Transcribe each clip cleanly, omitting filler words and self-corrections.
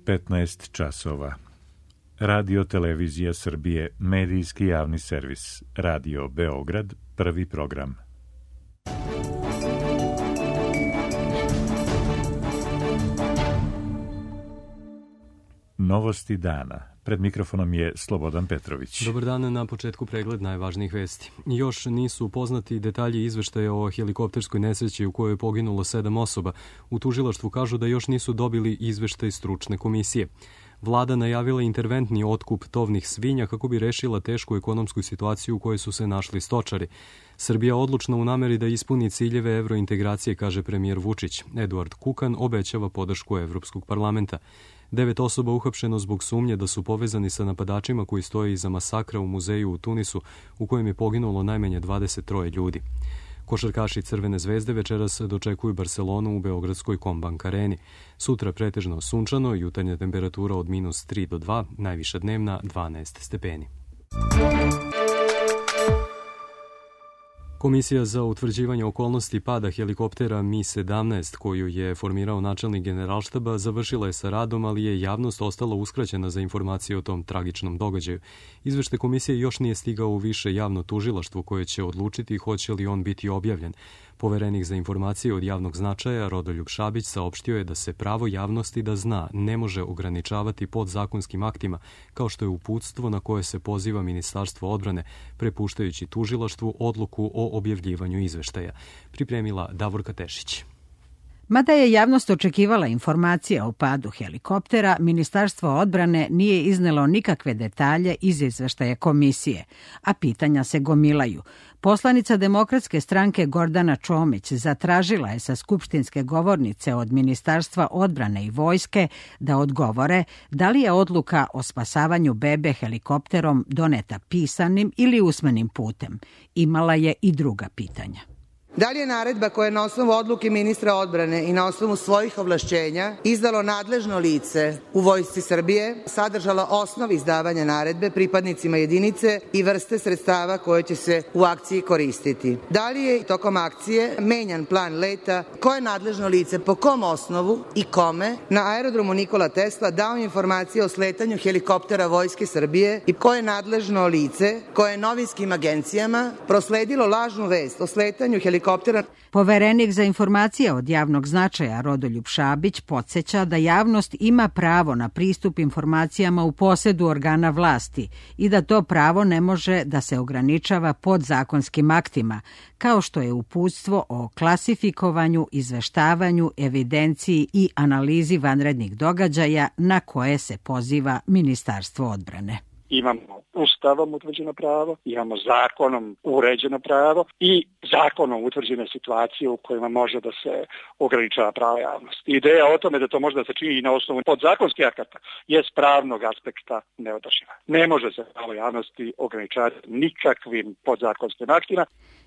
15 časova. Radio Televizija Srbije, medijski javni servis. Radio Beograd, prvi program. Novosti dana. Pred mikrofonom je Slobodan Petrović. Dobar dan, na početku pregled najvažnijih vesti. Još nisu poznati detalji izveštaja o helikopterskoj nesreći u kojoj je poginulo 7 osoba. U tužilaštvu kažu da još nisu dobili izveštaj stručne komisije. Vlada najavila interventni otkup tovnih svinja kako bi rešila tešku ekonomsku situaciju u kojoj su se našli stočari. Srbija odlučna u nameri da ispuni ciljeve evrointegracije, kaže premijer Vučić. Eduard Kukan obećava podršku Evropskog parlamenta. 9 osoba uhapšeno zbog sumnje da su povezani sa napadačima koji stoje iza masakra u muzeju u Tunisu, u kojem je poginulo najmanje 23 ljudi. Košarkaši Crvene zvezde večeras dočekuju Barcelonu u beogradskoj Kombank areni. Sutra pretežno sunčano, jutarnja temperatura od -3 do 2, najviša dnevna 12 stepeni. Komisija za utvrđivanje okolnosti pada helikoptera Mi-17, koju je formirao načelnik Generalštaba, završila je sa radom, ali je javnost ostala uskraćena za informacije o tom tragičnom događaju. Izveštaj komisije još nije stigao u više javno tužilaštvo koje će odlučiti hoće li on biti objavljen. Poverenik za informacije od javnog značaja Rodoljub Šabić saopštio je da se pravo javnosti da zna ne može ograničavati podzakonskim aktima, kao što je uputstvo na koje se poziva Ministarstvo odbrane, prepuštajući tužilaštvu odluku o objavljivanju izveštaja. Pripremila Davorka Tešić. Mada je javnost očekivala informacije o padu helikoptera, Ministarstvo odbrane nije iznelo nikakve detalje iz izveštaja komisije, a pitanja se gomilaju. Poslanica Demokratske stranke Gordana Čomić zatražila je sa skupštinske govornice od Ministarstva odbrane i vojske da odgovore da li je odluka o spasavanju bebe helikopterom doneta pisanim ili usmenim putem. Imala je i druga pitanja. Da li je naredba koja je na osnovu odluke ministra odbrane i na osnovu svojih ovlašćenja izdalo nadležno lice u Vojsci Srbije sadržala osnov izdavanja naredbe pripadnicima jedinice i vrste sredstava koje će se u akciji koristiti? Da li je tokom akcije menjan plan leta? Koje je nadležno lice, po kom osnovu i kome na aerodromu Nikola Tesla dao informacije o sletanju helikoptera Vojske Srbije i koje je nadležno lice koje je novinskim agencijama prosledilo lažnu vest o sletanju helikoptera? Poverenik za informacije od javnog značaja Rodoljub Šabić podsjeća da javnost ima pravo na pristup informacijama u posedu organa vlasti i da to pravo ne može da se ograničava podzakonskim aktima, kao što je uputstvo o klasifikovanju, izveštavanju, evidenciji i analizi vanrednih događaja na koje se poziva Ministarstvo odbrane. Imamo Ustavom utvrđeno pravo, imamo zakonom uređeno pravo i zakonom utvrđene situacije u kojima može da se ograničava pravo javnosti. Ideja o tome da to može da se čini i na osnovu podzakonskih akata je s pravnog aspekta neodrživa. Ne može se pravo javnosti ograničavati nikakvim podzakonskim aktima.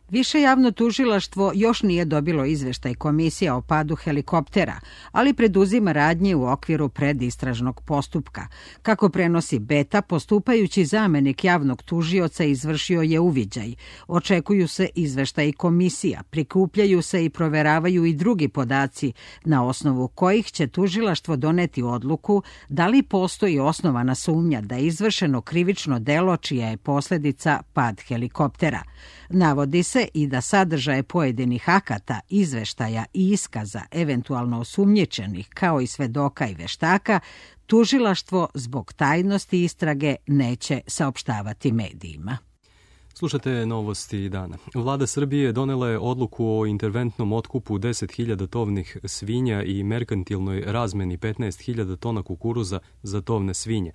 Više javno tužilaštvo još nije dobilo izveštaj komisije o padu helikoptera, ali preduzima radnje u okviru predistražnog postupka. Kako prenosi Beta, postupajući zamenik javnog tužioca izvršio je uviđaj. Očekuju se izveštaji komisija, prikupljaju se i proveravaju i drugi podaci, na osnovu kojih će tužilaštvo doneti odluku da li postoji osnovana sumnja da je izvršeno krivično delo čija je posljedica pad helikoptera. Navodi se i da sadržaje pojedinih akata, izveštaja i iskaza eventualno osumnjičenih kao i svedoka i veštaka tužilaštvo zbog tajnosti istrage neće saopštavati medijima. Slušate novosti dana. Vlada Srbije donela je odluku o interventnom otkupu 10.000 tovnih svinja i merkantilnoj razmeni 15.000 tona kukuruza za tovne svinje,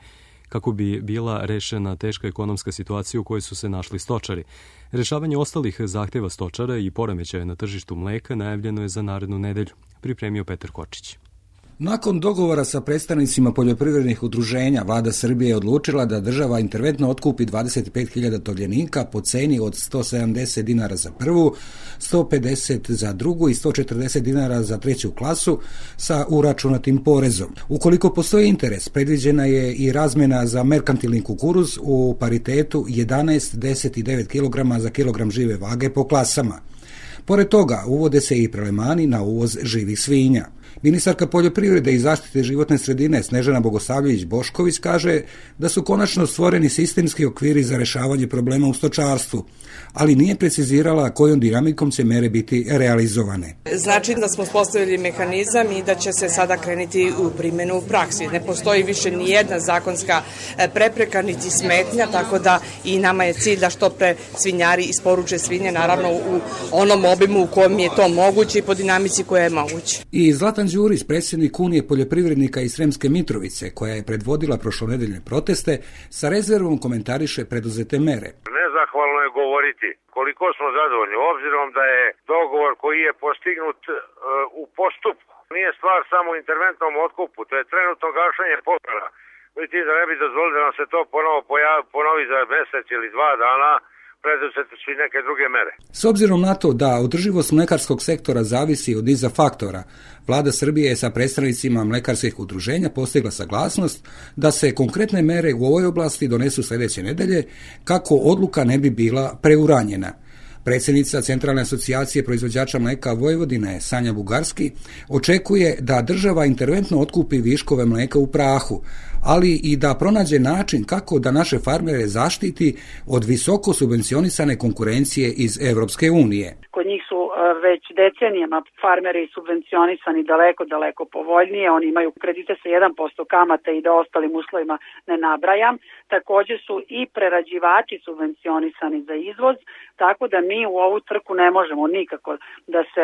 kako bi bila rešena teška ekonomska situacija u kojoj su se našli stočari. Rešavanje ostalih zahteva stočara i poremećaja na tržištu mleka najavljeno je za narednu nedelju. Pripremio Petar Kočić. Nakon dogovora sa predstavnicima poljoprivrednih udruženja, Vlada Srbije je odlučila da država interventno otkupi 25.000 tovljenika po ceni od 170 dinara za prvu, 150 za drugu i 140 dinara za treću klasu sa uračunatim porezom. Ukoliko postoji interes, predviđena je i razmena za merkantilni kukuruz u paritetu 11, 10 i 9 kg za kilogram žive vage po klasama. Pored toga, uvode se i prelemani na uvoz živih svinja. Ministarka poljoprivrede i zaštite životne sredine Snežana Bogosavljević-Bošković kaže da su konačno stvoreni sistemski okviri za rešavanje problema u stočarstvu, ali nije precizirala kojom dinamikom će mere biti realizovane. Znači da smo postavili mehanizam i da će se sada krenuti u primjenu u praksi. Ne postoji više ni jedna zakonska prepreka niti smetnja, tako da i nama je cilj da što pre svinjari isporuče svinje, naravno u onom obimu u kojem je to moguće i po dinamici koja je moguće. I Zlatan Đurić, predsjednik Unije poljoprivrednika iz Sremske Mitrovice, koja je predvodila prošlonedeljne proteste, sa rezervom komentariše preduzete mere. Nezahvalno je govoriti koliko smo zadovoljni, obzirom da je dogovor koji je postignut u postupku. Nije stvar samo u interventnom otkupu, to je trenutno gašenje požara. Vidite da ne bi dozvolili da nam se to ponovi za mesec ili 2 dana, preduzeti su i neke druge mere. S obzirom na to da održivost mlekarskog sektora zavisi od niza faktora, Vlada Srbije je sa predstavnicima mlekarskih udruženja postigla saglasnost da se konkretne mere u ovoj oblasti donesu sljedeće nedelje kako odluka ne bi bila preuranjena. Predsjednica Centralne asocijacije proizvođača mleka Vojvodine Sanja Bugarski očekuje da država interventno otkupi viškove mleka u prahu, ali i da pronađe način kako da naše farmere zaštiti od visoko subvencionisane konkurencije iz Evropske unije. Kod njih su već decenijama farmeri subvencionisani daleko povoljnije. Oni imaju kredite sa 1% kamata i da ostalim uslovima ne nabrajam. Također su i prerađivači subvencionisani za izvoz, tako da mi u ovu trku ne možemo nikako da se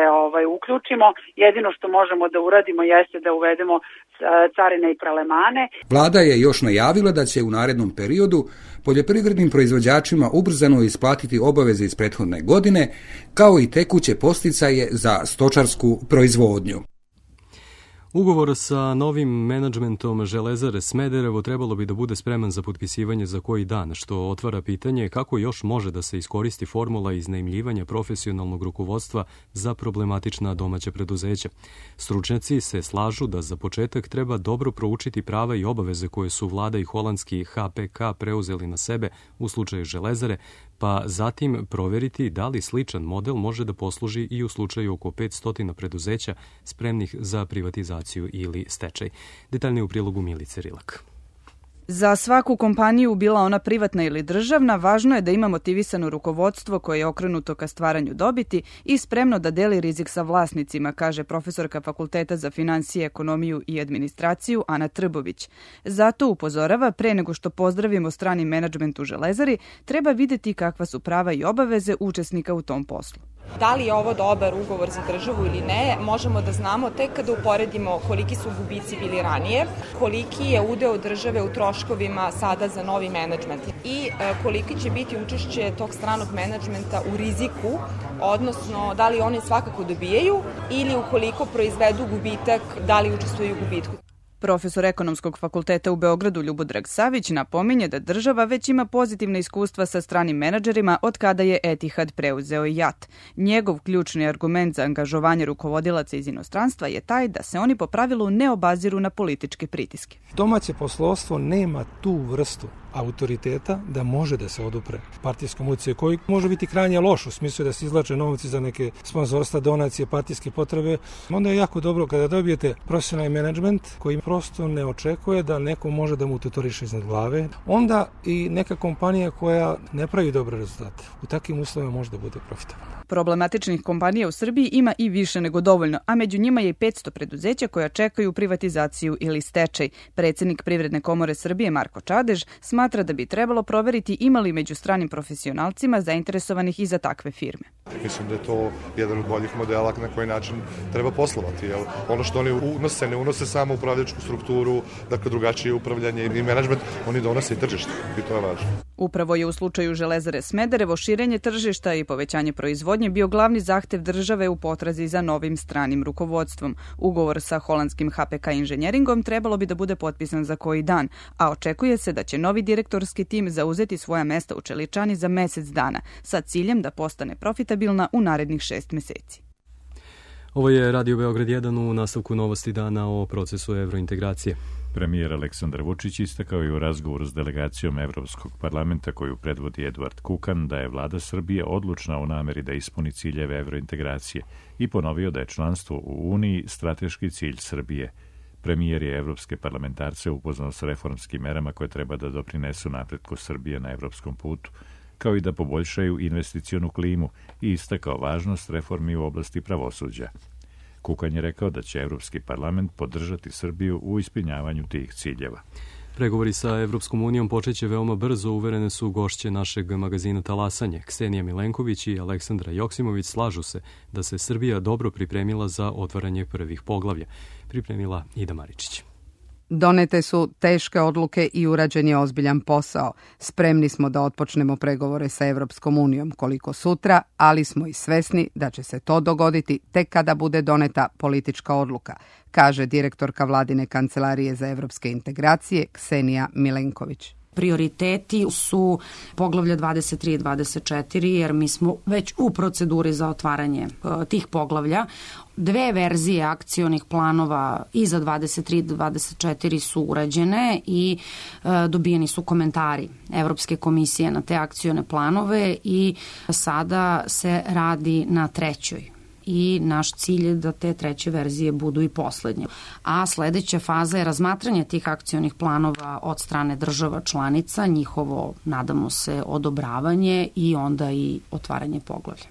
uključimo. Jedino što možemo da uradimo jeste da uvedemo carine i prelemane. Vlada je još najavila da će u narednom periodu poljoprivrednim proizvođačima ubrzano isplatiti obaveze iz prethodne godine, kao i tekuće podsticaje za stočarsku proizvodnju. Ugovor sa novim menadžmentom Železare Smederevo trebalo bi da bude spreman za potpisivanje za koji dan, što otvara pitanje kako još može da se iskoristi formula iznajmljivanja profesionalnog rukovodstva za problematična domaća preduzeća. Stručnjaci se slažu da za početak treba dobro proučiti prava i obaveze koje su vlada i holandski HPK preuzeli na sebe u slučaju Železare, pa zatim proveriti da li sličan model može da posluži i u slučaju oko 500 preduzeća spremnih za privatizaciju ili stečaj. Detaljnije u prilogu Milice Rilak. Za svaku kompaniju, bila ona privatna ili državna, važno je da ima motivisano rukovodstvo koje je okrenuto ka stvaranju dobiti i spremno da deli rizik sa vlasnicima, kaže profesorka Fakulteta za finansije, ekonomiju i administraciju Ana Trbović. Zato upozorava, pre nego što pozdravimo strani menadžment u Železari, treba videti kakva su prava i obaveze učesnika u tom poslu. Da li je ovo dobar ugovor za državu ili ne, možemo da znamo tek kada uporedimo koliki su gubici bili ranije, koliki je udeo države u troškovima sada za novi menadžment i koliki će biti učešće tog stranog menadžmenta u riziku, odnosno da li oni svakako dobijaju ili ukoliko proizvedu gubitak, da li učestvuju u gubitku. Profesor Ekonomskog fakulteta u Beogradu Ljubodrag Savić napominje da država već ima pozitivne iskustva sa stranim menadžerima od kada je Etihad preuzeo JAT. Njegov ključni argument za angažovanje rukovodilaca iz inostranstva je taj da se oni po pravilu ne obaziru na političke pritiske. Domaće poslovstvo nema tu vrstu autoriteta da može da se odupre partijskom uticaju koji može biti krajnje loš u smislu da se izvlače novci za neke sponzorstva, donacije, partijske potrebe. Onda je jako dobro kada dobijete profesionalni menadžment koji prosto ne očekuje da neko može da mu tutoriše iznad glave. Onda i neka kompanija koja ne pravi dobre rezultate u takvim uslovima može da bude profitabilna. Problematičnih kompanija u Srbiji ima i više nego dovoljno, a među njima je i 500 preduzeća koja čekaju privatizaciju ili stečaj. Predsjednik Privredne komore Srbije Marko Čadež smatra da bi trebalo proveriti ima li među stranim profesionalcima zainteresovanih i za takve firme. Mislim da je to jedan od boljih modela na koji način treba poslovati. Jer ono što oni ne unose samo upravljačku strukturu, dakle drugačije upravljanje i menadžment, oni donose i tržište i to je važno. Upravo je u slučaju Železare Smederevo širenje tržišta i povećanje proizvodnje bio glavni zahtev države u potrazi za novim stranim rukovodstvom. Ugovor sa holandskim HPK inženjeringom trebalo bi da bude potpisan za koji dan, a očekuje se da će novi direktorski tim zauzeti svoja mesta u čeličani za mesec dana, sa ciljem da postane profitabilna u narednih 6 meseci. Ovo je Radio Beograd 1 u nastavku novosti dana o procesu evrointegracije. Premijer Aleksandar Vučić istakao je u razgovoru s delegacijom Evropskog parlamenta koju predvodi Eduard Kukan da je vlada Srbije odlučna u nameri da ispuni ciljeve evrointegracije i ponovio da je članstvo u Uniji strateški cilj Srbije. Premijer je evropske parlamentarce upoznao s reformskim merama koje treba da doprinesu napretku Srbije na evropskom putu, kao i da poboljšaju investicionu klimu i istakao važnost reformi u oblasti pravosuđa. Kukan je rekao da će Evropski parlament podržati Srbiju u ispunjavanju tih ciljeva. Pregovori sa Evropskom unijom počeće veoma brzo, uverene su gošće našeg magazina Talasanje. Ksenija Milenković i Aleksandra Joksimović slažu se da se Srbija dobro pripremila za otvaranje prvih poglavlja. Pripremila Ida Maričić. Donete su teške odluke i urađen je ozbiljan posao. Spremni smo da otpočnemo pregovore sa Evropskom unijom koliko sutra, ali smo i svesni da će se to dogoditi tek kada bude doneta politička odluka, kaže direktorka Vladine kancelarije za evropske integracije Ksenija Milenković. Prioriteti su poglavlja 23 i 24, jer mi smo već u proceduri za otvaranje tih poglavlja. 2 verzije akcionih planova i za 23 i 24 su urađene i dobijeni su komentari Evropske komisije na te akcione planove i sada se radi na 3. I naš cilj je da te 3. verzije budu i poslednje. A sledeća faza je razmatranje tih akcionih planova od strane država članica, njihovo, nadamo se, odobravanje i onda i otvaranje poglavlja.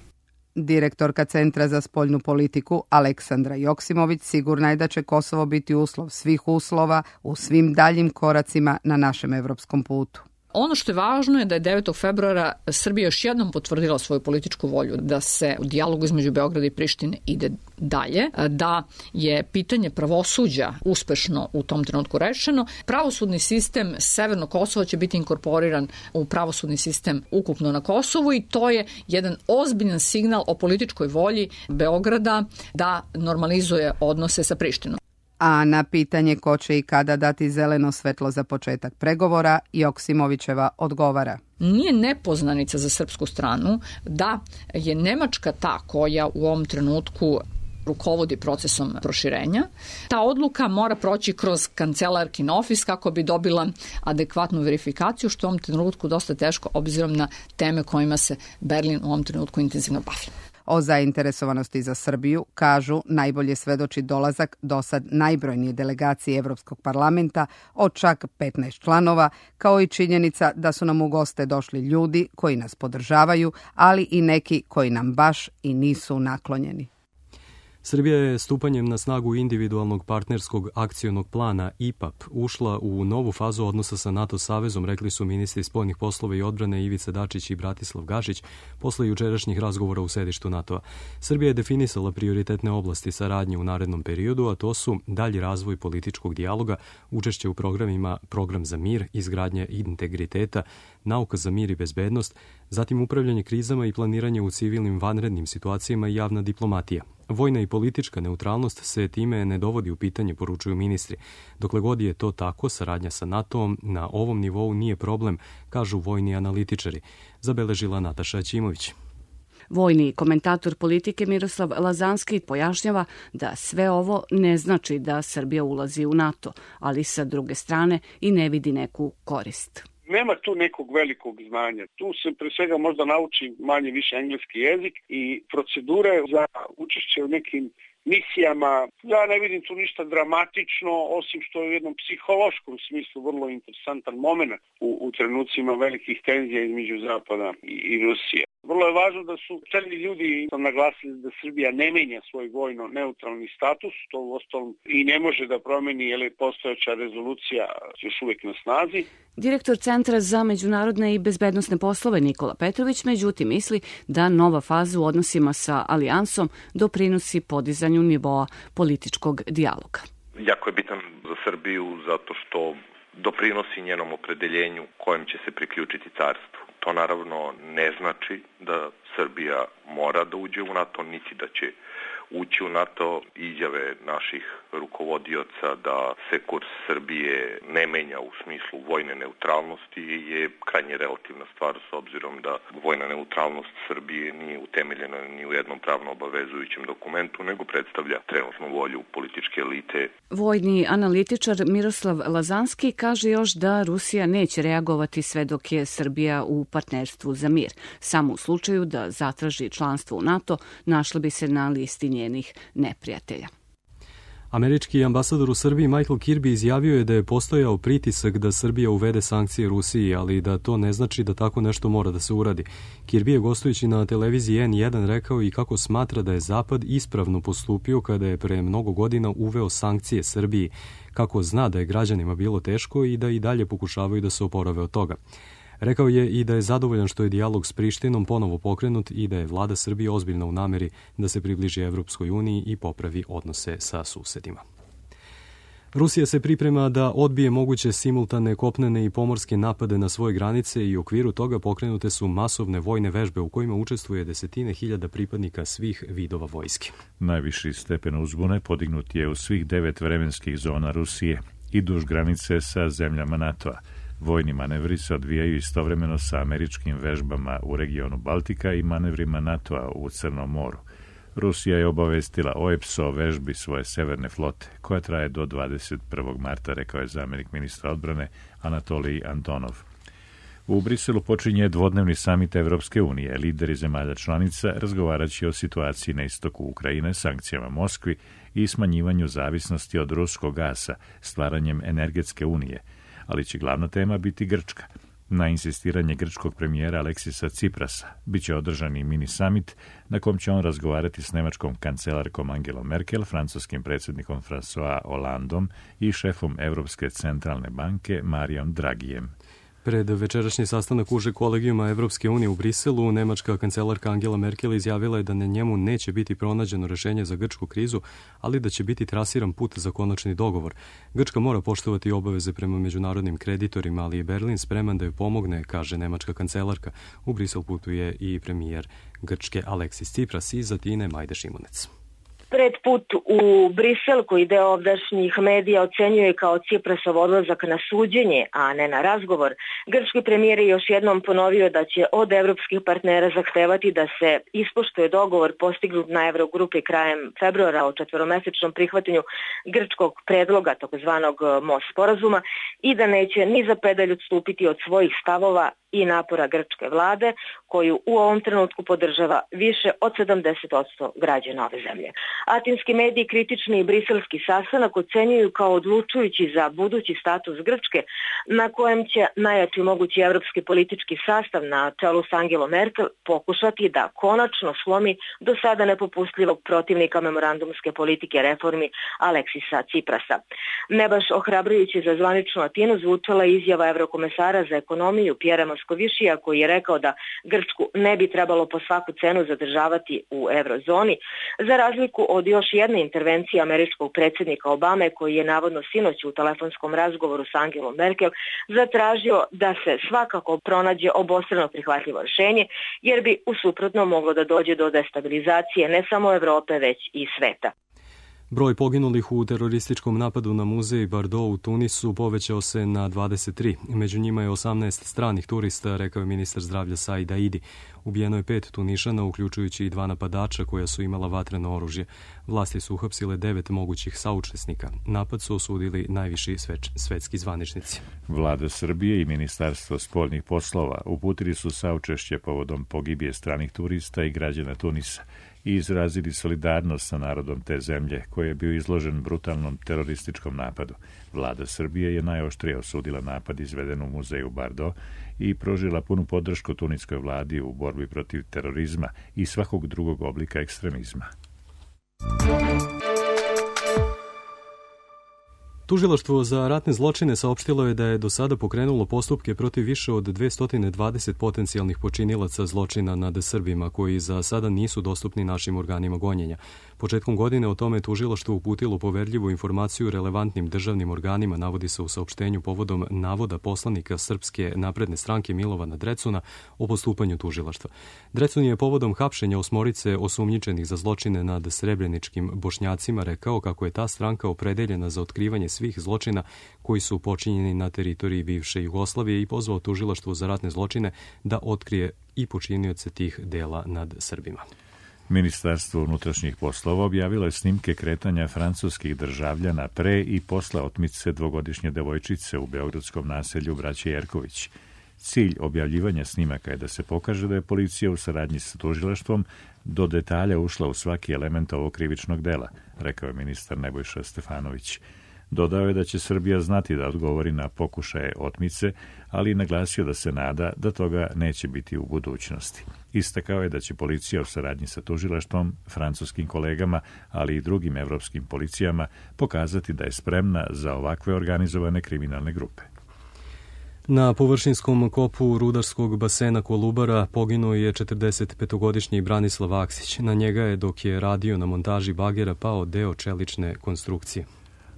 Direktorka Centra za spoljnu politiku Aleksandra Joksimović sigurna je da će Kosovo biti uslov svih uslova u svim daljim koracima na našem evropskom putu. Ono što je važno je da je 9. februara Srbija još jednom potvrdila svoju političku volju da se u dijalogu između Beograda i Prištine ide dalje, da je pitanje pravosuđa uspešno u tom trenutku rešeno. Pravosudni sistem Severnog Kosova će biti inkorporiran u pravosudni sistem ukupno na Kosovu i to je jedan ozbiljan signal o političkoj volji Beograda da normalizuje odnose sa Prištinom. A na pitanje ko će i kada dati zeleno svetlo za početak pregovora, Joksimovićeva odgovara. Nije nepoznanica za srpsku stranu da je Nemačka ta koja u ovom trenutku rukovodi procesom proširenja. Ta odluka mora proći kroz kancelarkin ofis kako bi dobila adekvatnu verifikaciju, što u ovom trenutku dosta teško obzirom na teme kojima se Berlin u ovom trenutku intenzivno bavi. O zainteresovanosti za Srbiju, kažu, najbolje svedoči dolazak dosad najbrojnije delegacije Evropskog parlamenta od čak 15 članova, kao i činjenica da su nam u goste došli ljudi koji nas podržavaju, ali i neki koji nam baš i nisu naklonjeni. Srbija je stupanjem na snagu individualnog partnerskog akcionog plana IPAP ušla u novu fazu odnosa sa NATO savezom, rekli su ministri spoljnih poslova i odbrane Ivica Dačić i Bratislav Gašić posle jučerašnjih razgovora u sedištu NATO-a. Srbija je definisala prioritetne oblasti saradnje u narednom periodu, a to su dalji razvoj političkog dijaloga, učešće u programima Program za mir, izgradnja integriteta, nauka za mir i bezbednost, zatim upravljanje krizama i planiranje u civilnim vanrednim situacijama i javna diplomatija. Vojna i politička neutralnost se time ne dovodi u pitanje, poručuju ministri. Dokle god je to tako, saradnja sa NATO-om na ovom nivou nije problem, kažu vojni analitičari, zabeležila Nataša Ćimović. Vojni komentator politike Miroslav Lazanski pojašnjava da sve ovo ne znači da Srbija ulazi u NATO, ali sa druge strane i ne vidi neku korist. Nema tu nekog velikog znanja. Tu se pre svega možda nauči manje više engleski jezik i procedure za učešće u nekim misijama. Ja ne vidim tu ništa dramatično, osim što je u jednom psihološkom smislu vrlo interesantan moment u trenucima velikih tenzija između Zapada i Rusije. Vrlo je važno da su čelni ljudi naglasili da Srbija ne menja svoj vojno-neutralni status, to u ostalom i ne može da promeni, jer je postojeća rezolucija još uvijek na snazi. Direktor Centra za međunarodne i bezbednosne poslove Nikola Petrović međutim misli da nova faza u odnosima sa alijansom doprinosi podizanju nivoa političkog dijaloga. Jako je bitan za Srbiju zato što doprinosi njenom opredeljenju kojem će se priključiti carstvu. To naravno ne znači da Srbija mora da uđe u NATO, niti da će ući u NATO. Izjave naših rukovodioca da se kurs Srbije ne menja u smislu vojne neutralnosti je krajnje relativna stvar, s obzirom da vojna neutralnost Srbije nije utemeljena ni u jednom pravno obavezujućem dokumentu, nego predstavlja trenutnu volju političke elite. Vojni analitičar Miroslav Lazanski kaže još da Rusija neće reagovati sve dok je Srbija u partnerstvu za mir. Samo u slučaju da zatraži članstvo u NATO, našla bi se na listi njenih neprijatelja. Američki ambasador u Srbiji Michael Kirby izjavio je da je postojao pritisak da Srbija uvede sankcije Rusiji, ali da to ne znači da tako nešto mora da se uradi. Kirby je gostujući na televiziji N1 rekao i kako smatra da je Zapad ispravno postupio kada je pre mnogo godina uveo sankcije Srbiji, kako zna da je građanima bilo teško i da i dalje pokušavaju da se oporave od toga. Rekao je i da je zadovoljan što je dijalog s Prištinom ponovo pokrenut i da je vlada Srbije ozbiljna u nameri da se približi Evropskoj uniji i popravi odnose sa susedima. Rusija se priprema da odbije moguće simultane kopnene i pomorske napade na svoje granice i u okviru toga pokrenute su masovne vojne vežbe u kojima učestvuje desetine hiljada pripadnika svih vidova vojske. Najviši stepen uzbune podignut je u svih 9 vremenskih zona Rusije i duž granice sa zemljama NATO-a. Vojni manevri se odvijaju istovremeno sa američkim vežbama u regionu Baltika i manevrima NATO-a u Crnom moru. Rusija je obavestila o EPSO vežbi svoje severne flote, koja traje do 21. marta, rekao je zamjenik ministra odbrane Anatolij Antonov. U Briselu počinje dvodnevni samit Evropske unije. Lideri zemalja članica razgovaraće o situaciji na istoku Ukrajine, sankcijama Moskvi i smanjivanju zavisnosti od ruskog gasa, stvaranjem energetske unije, ali će glavna tema biti Grčka. Na insistiranje grčkog premijera Aleksisa Ciprasa biće održan i mini summit na kom će on razgovarati s nemačkom kancelarkom Angelom Merkel, francuskim predsjednikom François Hollandom i šefom Evropske centralne banke Marijom Dragijem. Pred večerašnji sastanak užeg kolegijuma Evropske unije u Briselu, nemačka kancelarka Angela Merkel izjavila je da na njemu neće biti pronađeno rešenje za grčku krizu, ali da će biti trasiran put za konačni dogovor. Grčka mora poštovati obaveze prema međunarodnim kreditorima, ali je Berlin spreman da joj pomogne, kaže nemačka kancelarka. U Brisel putuje i premijer Grčke Aleksis Tsipras iz Atine Majde Šimunec. Pred put u Brisel, koji deo ovdašnjih medija ocenjuje kao Ciprasov odlazak na suđenje, a ne na razgovor, grčki premijer je još jednom ponovio da će od evropskih partnera zahtevati da se ispoštuje dogovor postignut na Evrogrupi krajem februara o 4-mesečnom prihvatanju grčkog predloga, takozvanog most sporazuma, i da neće ni za pedalj odstupiti od svojih stavova i napora grčke vlade, koju u ovom trenutku podržava više od 70% građana ove zemlje. Atinski mediji kritični i briselski sastanak ocenjuju kao odlučujući za budući status Grčke, na kojem će najjači mogući evropski politički sastav na čelu s Angelom Merkel pokušati da konačno slomi do sada nepopustljivog protivnika memorandumske politike reformi Aleksisa Ciprasa. Ne baš ohrabrujući za zvaničnu Atinu zvučala izjava evrokomesara za ekonomiju Pjera Moskovišija, koji je rekao da Grčku ne bi trebalo po svaku cenu zadržavati u eurozoni, za razliku od još jedne intervencije američkog predsjednika Obame, koji je navodno sinoć u telefonskom razgovoru s Angelom Merkel zatražio da se svakako pronađe obostrano prihvatljivo rješenje, jer bi u suprotno moglo da dođe do destabilizacije ne samo Evrope, već i sveta. Broj poginulih u terorističkom napadu na muzej Bardo u Tunisu povećao se na 23. Među njima je 18 stranih turista, rekao je ministar zdravlja Said Aidi. Ubijeno je 5 Tunišana, uključujući i 2 napadača koja su imala vatreno oružje. Vlasti su uhapsile 9 mogućih saučesnika. Napad su osudili najviši svetski zvaničnici. Vlada Srbije i Ministarstvo spoljnih poslova uputili su saučešće povodom pogibije stranih turista i građana Tunisa i izrazili solidarnost sa narodom te zemlje, koji je bio izložen brutalnom terorističkom napadu. Vlada Srbije je najoštrije osudila napad izveden u muzeju Bardo i pružila punu podršku tuniskoj vladi u borbi protiv terorizma i svakog drugog oblika ekstremizma. Tužilaštvo za ratne zločine saopštilo je da je do sada pokrenulo postupke protiv više od 220 potencijalnih počinilaca zločina nad Srbima, koji za sada nisu dostupni našim organima gonjenja. Početkom godine o tome tužilaštvo uputilo poverljivu informaciju relevantnim državnim organima, navodi se u saopštenju povodom navoda poslanika Srpske napredne stranke Milovana Drecuna o postupanju tužilaštva. Drecun je povodom hapšenja 8 osumnjičenih za zločine nad srebreničkim Bošnjacima rekao kako je ta stranka opredeljena za otkrivanje svih zločina koji su počinjeni na teritoriji bivše Jugoslavije i pozvao tužilaštvo za ratne zločine da otkrije i počinioce tih dela nad Srbima. Ministarstvo unutrašnjih poslova objavilo je snimke kretanja francuskih državljana pre i posle otmice dvogodišnje devojčice u beogradskom naselju Braće Jerković. Cilj objavljivanja snimaka je da se pokaže da je policija u saradnji sa tužilaštvom do detalja ušla u svaki element ovog krivičnog dela, rekao je ministar Nebojša Stefanović. Dodao je da će Srbija znati da odgovori na pokušaje otmice, ali i naglasio da se nada da toga neće biti u budućnosti. Istakao je da će policija u saradnji sa tužilaštvom, francuskim kolegama, ali i drugim evropskim policijama pokazati da je spremna za ovakve organizovane kriminalne grupe. Na površinskom kopu rudarskog basena Kolubara poginuo je 45-godišnji Branislav Aksić. Na njega je, dok je radio na montaži bagera, pao deo čelične konstrukcije.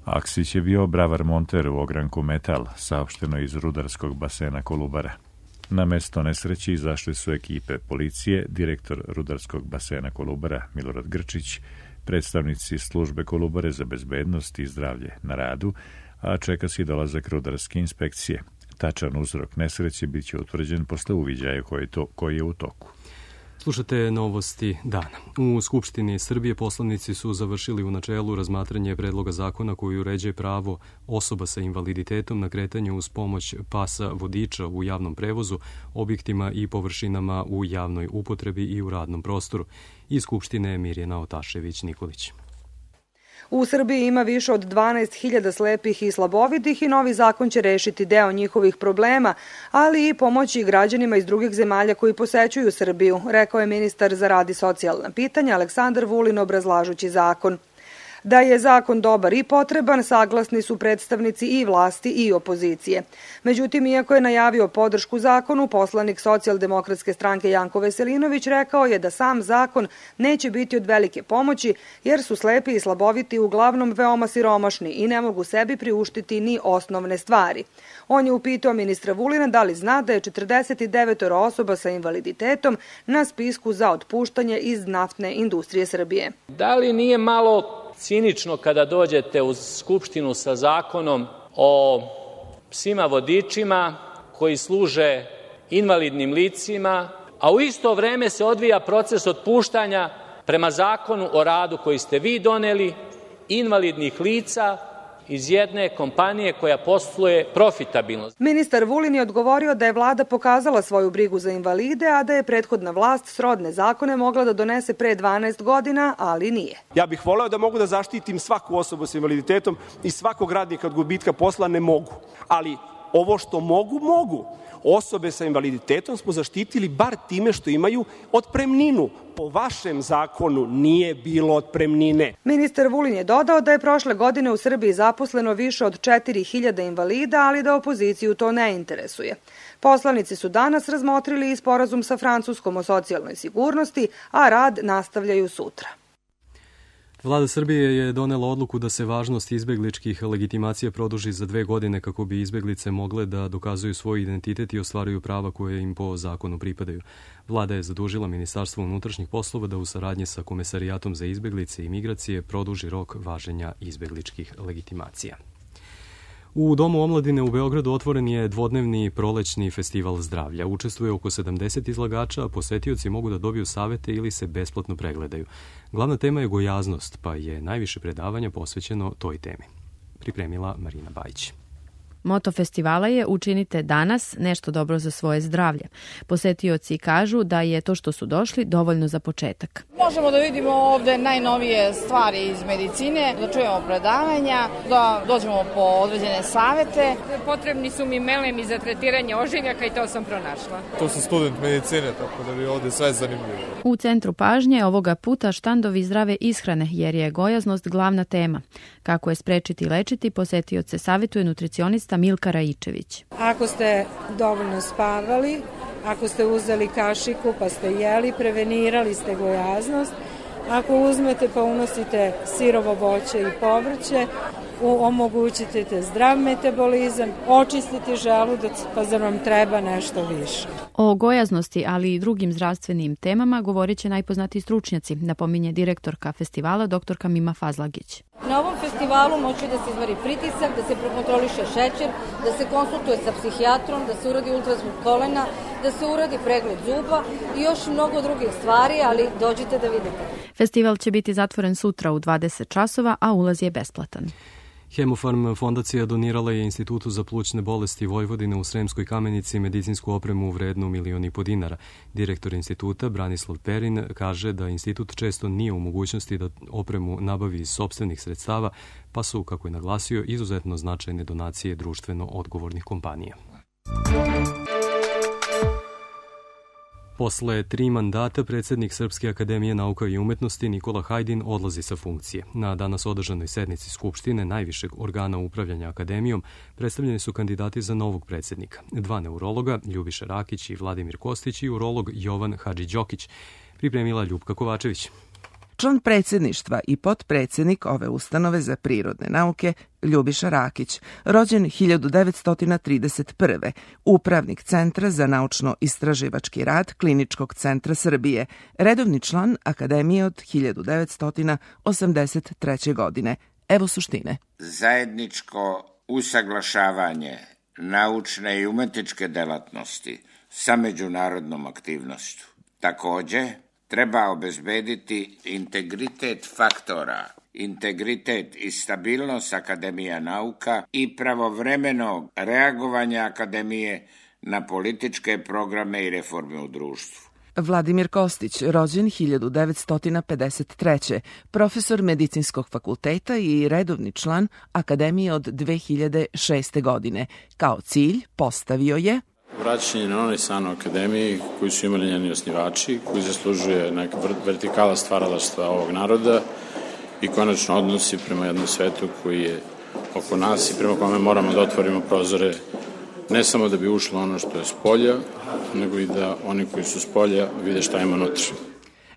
Aksić je bio bravar monter u ogranku Metal, saopšteno iz rudarskog basena Kolubara. Na mesto nesreće izašli su ekipe policije, direktor rudarskog basena Kolubara Milorad Grčić, predstavnici službe Kolubare za bezbednost i zdravlje na radu, a čeka se i dolazak rudarske inspekcije. Tačan uzrok nesreće bit će utvrđen posle uviđaja koji je u toku. Slušate novosti dana. U Skupštini Srbije poslanici su završili u načelu razmatranje predloga zakona koji uređuje pravo osoba sa invaliditetom na kretanje uz pomoć pasa vodiča u javnom prevozu, objektima i površinama u javnoj upotrebi i u radnom prostoru. Iz Skupštine Mirjana Otašević-Nikolić. U Srbiji ima više od 12.000 slepih i slabovidih i novi zakon će rešiti deo njihovih problema, ali i pomoći građanima iz drugih zemalja koji posećuju Srbiju, rekao je ministar za rad i socijalna pitanja Aleksandar Vulin obrazlažući zakon. Da je zakon dobar i potreban, saglasni su predstavnici i vlasti i opozicije. Međutim, iako je najavio podršku zakonu, poslanik Socijaldemokratske stranke Janko Veselinović rekao je da sam zakon neće biti od velike pomoći, jer su slepi i slaboviti uglavnom veoma siromašni i ne mogu sebi priuštiti ni osnovne stvari. On je upitao ministra Vulina da li zna da je 49 osoba sa invaliditetom na spisku za otpuštanje iz naftne industrije Srbije. Da li nije malo cinično kada dođete u Skupštinu sa zakonom o psima vodičima koji služe invalidnim licima, a u isto vreme se odvija proces otpuštanja prema zakonu o radu koji ste vi doneli, invalidnih lica iz jedne kompanije koja posluje profitabilno. Ministar Vulin je odgovorio da je vlada pokazala svoju brigu za invalide, a da je prethodna vlast srodne zakone mogla da donese pre 12 godina, ali nije. Ja bih voleo da mogu da zaštitim svaku osobu sa invaliditetom i svakog radnika od gubitka posla, ne mogu. Ali ovo što mogu. Osobe sa invaliditetom smo zaštitili bar time što imaju otpremninu. Po vašem zakonu nije bilo otpremnine. Ministar Vulin je dodao da je prošle godine u Srbiji zaposleno više od 4.000 invalida, ali da opoziciju to ne interesuje. Poslanici su danas razmotrili i sporazum sa Francuskom o socijalnoj sigurnosti, a rad nastavljaju sutra. Vlada Srbije je donela odluku da se važnost izbegličkih legitimacija produži za 2 godine kako bi izbeglice mogle da dokazuju svoj identitet i ostvaruju prava koje im po zakonu pripadaju. Vlada je zadužila Ministarstvo unutrašnjih poslova da u saradnji sa Komesarijatom za izbeglice i migracije produži rok važenja izbegličkih legitimacija. U Domu omladine u Beogradu otvoren je dvodnevni prolećni festival zdravlja. Učestvuje oko 70 izlagača, a posetioci mogu da dobiju savete ili se besplatno pregledaju. Glavna tema je gojaznost, pa je najviše predavanja posvećeno toj temi. Pripremila Marina Bajić. Moto festivala je učinite danas nešto dobro za svoje zdravlje. Posetioci kažu da je to što su došli dovoljno za početak. Možemo da vidimo ovde najnovije stvari iz medicine, da čujemo predavanja, da dođemo po određene savete. Potrebni su mi melemi za tretiranje ožiljaka i to sam pronašla. To sam student medicine, tako da bi ovde sve zanimljivo. U centru pažnje ovoga puta štandovi zdrave ishrane, jer je gojaznost glavna tema. Kako je sprečiti i lečiti, posetioce savjetuje nutricionista Milka Raičević. Ako ste dovoljno spavali, ako ste uzeli kašiku pa ste jeli, prevenirali ste gojaznost. Ako uzmete pa unosite sirovo voće i povrće, omogućite zdrav metabolizam, očistiti želudac, pa zar vam treba nešto više. O gojaznosti, ali i drugim zdravstvenim temama govorit će najpoznatiji stručnjaci, napominje direktorka festivala dr. Mima Fazlagić. Na ovom festivalu moći da se izmeri pritisak, da se prekontroliše šećer, da se konsultuje sa psihijatrom, da se uradi ultrazvuk kolena, da se uradi pregled zuba i još mnogo drugih stvari, ali dođite da vidite. Festival će biti zatvoren sutra u 20 časova, a ulaz je besplatan. Hemofarm fondacija donirala je Institutu za plućne bolesti Vojvodine u Sremskoj Kamenici medicinsku opremu vrednu 1,5 miliona dinara. Direktor instituta Branislav Perin kaže da institut često nije u mogućnosti da opremu nabavi iz sopstvenih sredstava, pa su, kako je naglasio, izuzetno značajne donacije društveno odgovornih kompanija. Posle 3 mandata predsjednik Srpske akademije nauka i umetnosti Nikola Hajdin odlazi sa funkcije. Na danas održanoj sednici Skupštine, najvišeg organa upravljanja akademijom, predstavljeni su kandidati za novog predsjednika. 2 neurologa, Ljubiša Rakić i Vladimir Kostić, i urolog Jovan Hadžidžokić. Pripremila Ljupka Kovačević. Član predsjedništva i potpredsjednik ove ustanove za prirodne nauke Ljubiša Rakić, rođen 1931. Upravnik Centra za naučno-istraživački rad Kliničkog centra Srbije, redovni član Akademije od 1983. godine. Evo suštine. Zajedničko usaglašavanje naučne i umetničke delatnosti sa međunarodnom aktivnošću. Takođe, treba obezbediti integritet faktora, integritet i stabilnost Akademija nauka i pravovremeno reagovanje Akademije na političke programe i reforme u društvu. Vladimir Kostić, rođen 1953. Profesor Medicinskog fakulteta i redovni član Akademije od 2006. godine. Kao cilj postavio je vraćanje na onaj san u akademiji koji su imali njeni osnivači, koji zaslužuje neka vertikala stvaralaštva ovog naroda i konačno odnosi prema jednom svetu koji je oko nas i prema kome moramo da otvorimo prozore ne samo da bi ušlo ono što je s polja, nego i da oni koji su s polja vide šta ima unutra.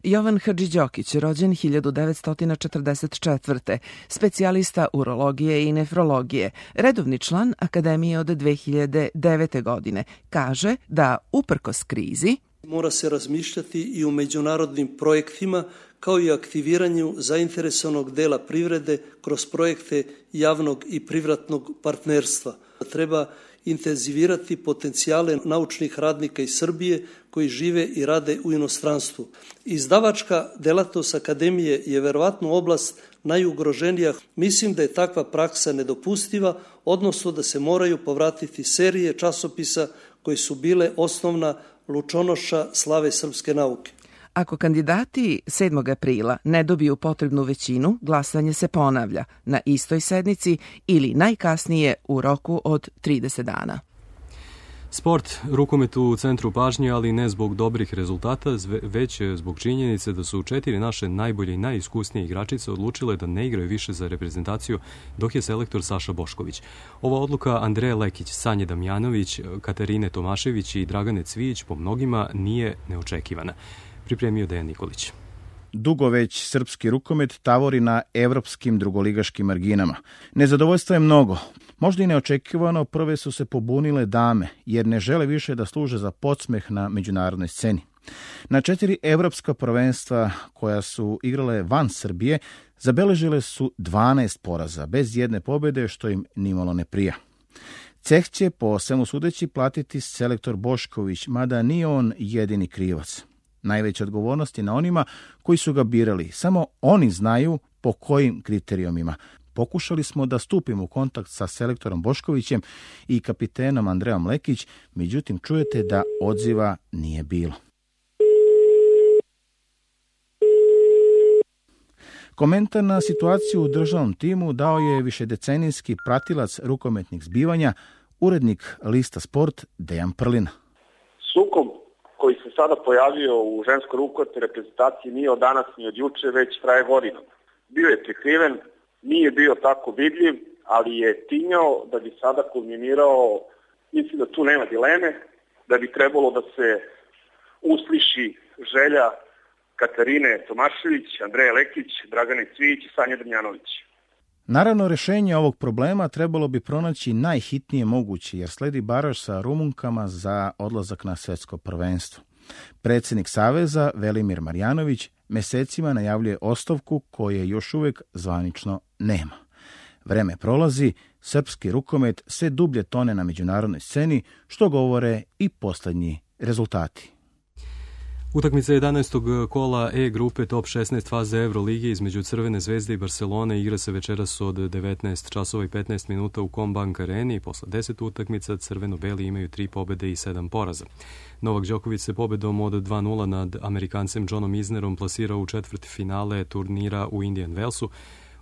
Jovan Hadžidžokić, rođen 1944. Specijalista urologije i nefrologije, redovni član Akademije od 2009. godine, kaže da uprkos krizi mora se razmišljati i o međunarodnim projektima kao i aktiviranju zainteresovanog dela privrede kroz projekte javnog i privatnog partnerstva. Treba intenzivirati potencijale naučnih radnika iz Srbije koji žive i rade u inostranstvu. Izdavačka delatnost akademije je verovatno oblast najugroženija. Mislim da je takva praksa nedopustiva, odnosno da se moraju povratiti serije časopisa koji su bile osnovna lučonoša slave srpske nauke. Ako kandidati 7. aprila ne dobiju potrebnu većinu, glasanje se ponavlja na istoj sednici ili najkasnije u roku od 30 dana. Sport, rukomet u centru pažnje, ali ne zbog dobrih rezultata, već zbog činjenice da su 4 naše najbolje i najiskusnije igračice odlučile da ne igraju više za reprezentaciju, dok je selektor Saša Bošković. Ova odluka Andreje Lekić, Sanje Damjanović, Katarine Tomašević i Dragane Cvijić po mnogima nije neočekivana. Pripremio Dejan Nikolić. Dugo već srpski rukomet tavori na evropskim drugoligaškim marginama. Nezadovoljstva je mnogo. Možda i neočekivano prve su se pobunile dame, jer ne žele više da služe za podsmeh na međunarodnoj sceni. Na 4 evropska prvenstva koja su igrale van Srbije, zabeležile su 12 poraza, bez jedne pobjede, što im nimalo ne prija. Ceh će po svemu sudeći platiti selektor Bošković, mada nije on jedini krivac. Najveća odgovornost je na onima koji su ga birali. Samo oni znaju po kojim kriterijumima. Pokušali smo da stupimo u kontakt sa selektorom Boškovićem i kapitenom Andrejom Lekić, međutim čujete da odziva nije bilo. Komentar na situaciju u državnom timu dao je višedecenijski pratilac rukometnih zbivanja, urednik lista Sport Dejan Prlina. Sukob koji se sada pojavio u ženskoj rukometnoj reprezentaciji nije od danas ni od juče, već traje godinama. Bio je prikriven, nije bio tako vidljiv, ali je tinjao da bi sada kulminirao, mislim da tu nema dileme, da bi trebalo da se usliši želja Katarine Tomašević, Andreje Lekić, Dragane Cvijić i Sanje Damjanović. Naravno, rješenje ovog problema trebalo bi pronaći najhitnije moguće, jer sledi baraž sa Rumunkama za odlazak na svjetsko prvenstvo. Predsjednik Saveza, Velimir Marjanović, mjesecima najavljuje ostavku koje još uvijek zvanično nema. Vreme prolazi, srpski rukomet sve dublje tone na međunarodnoj sceni, što govore i posljednji rezultati. Utakmica 11. kola E grupe top 16 faze Evrolige između Crvene zvezde i Barcelone igra se večeras od 19 časova i 15 minuta u Combank areni i posle 10 utakmica crveno-beli imaju 3 pobjede i 7 poraza. Novak Đoković se pobjedom od 2-0 nad Amerikancem Johnom Isnerom plasirao u četvrtfinale turnira u Indian Wellsu.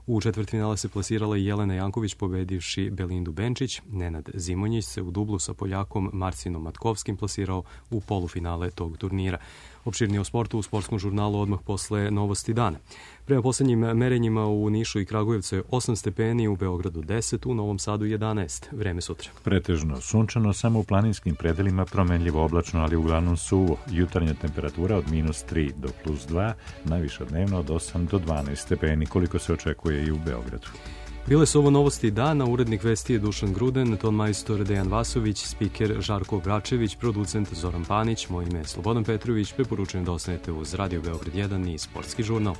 U četvrtfinale se plasirala i Jelena Janković pobedivši Belindu Benčić. Nenad Zimonjić se u dublu sa Poljakom Marcinom Matkovskim plasirao u polufinale tog turnira. Opširnije o sportu u sportskom žurnalu odmah posle novosti dana. Prema posljednjim merenjima u Nišu i Kragujevcu je 8 stepeni, u Beogradu 10, u Novom Sadu 11. Vreme sutra. Pretežno sunčano, samo u planinskim predelima promenljivo oblačno, ali uglavnom suvo. Jutarnja temperatura od -3 do +2, najviša dnevno od 8 do 12 stepeni, koliko se očekuje i u Beogradu. Bile su ovo novosti dana, urednik vesti je Dušan Gruden, ton majstor Dejan Vasović, spiker Žarko Bračević, producent Zoran Panić, moje ime je Slobodan Petrović, preporučujem da ostanete uz Radio Beograd 1 i Sportski žurnal.